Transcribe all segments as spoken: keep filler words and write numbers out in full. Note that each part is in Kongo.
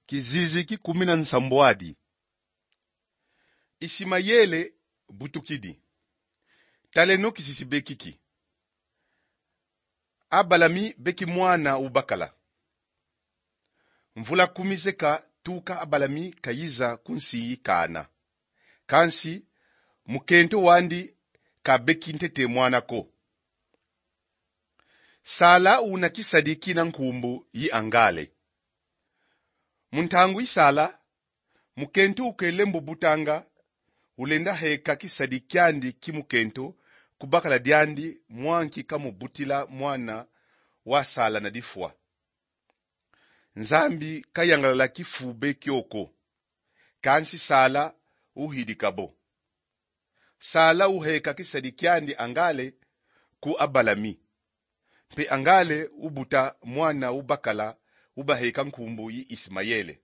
Kizizi ki kumi na nsambwadi. Isimayele butukidi. Taleno kizizi be kiki: Abalami beki mwana ubakala. Mvula kumi zeka tuka Abalami kayiza ku nsi yi Kana. Kansi mukento wandi kabeki ntete mwana ko. Sala una kisadi kina nkumbu yi Angale. Mu ntangu yi Sala, mukento ukele mbo butanga, ulenda heka kisadi kiandi ki mukento ku bakala diandi mwa nki kamubutila mwana wa Sala na difwa. Nzambi kayangalala kifu be kio ko, kansi Sala uhidika bo. Sala uheka kisadi kiandi Angale ku Abalami. Mpe Angale ubuta mwana ubakala, ubaheka nkumbu yi Isimayele.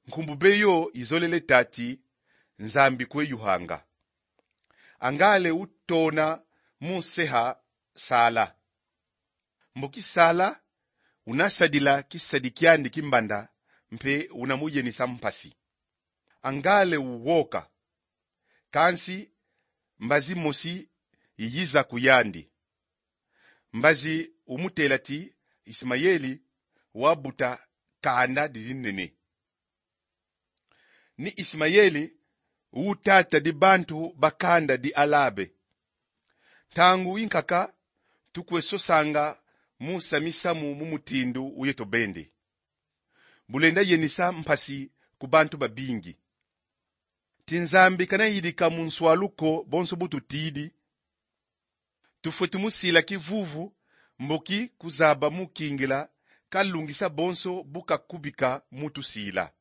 Nkumbu be yo izolele tati Nzambi kwe yuhanga. Angale utona mu seha Sala. Mboki Sala una sadila kisadi kiandi ki mbanda, mpe una muyenisa mpasi. Angale uwoka. Kansi mbazi mosi iyiza ku yandi. Mbazi umutela ti Isimayeli wabuta kanda didi nene. Ni Isimayeli u tata di bantu ba kanda di Alabe. Ntangu yi nkaka tukwe sosanga mu sa misamu mu mutindu uyeto bende. Bulenda yenisa mpasi ku bantu babingi. Ti Nzambi kana yidika mu nswalu ko bonso bu tutidi. Tufweti musila kivuvu, mboki kuzaba mu kingila kalungisa bonso bu kakubika mu tusila.